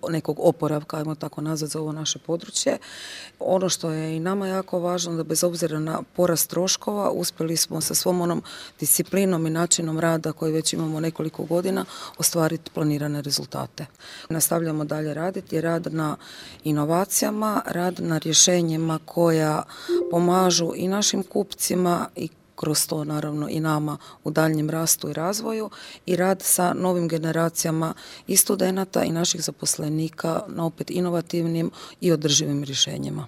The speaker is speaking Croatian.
nekog oporavka, ajmo tako nazvati, za ovo naše područje. Ono što je i nama jako važno, da bez obzira na porast troškova uspjeli smo sa svom onom disciplinom i načinom rada koji već imamo nekoliko godina ostvariti planirane rezultate. Nastavljamo dalje raditi, rad na inovacijama, rad na rješenjima koja pomažu i našim kupcima i kroz to naravno i nama u daljnjem rastu i razvoju, i rad sa novim generacijama i studenata i naših zaposlenika na opet inovativnim i održivim rješenjima.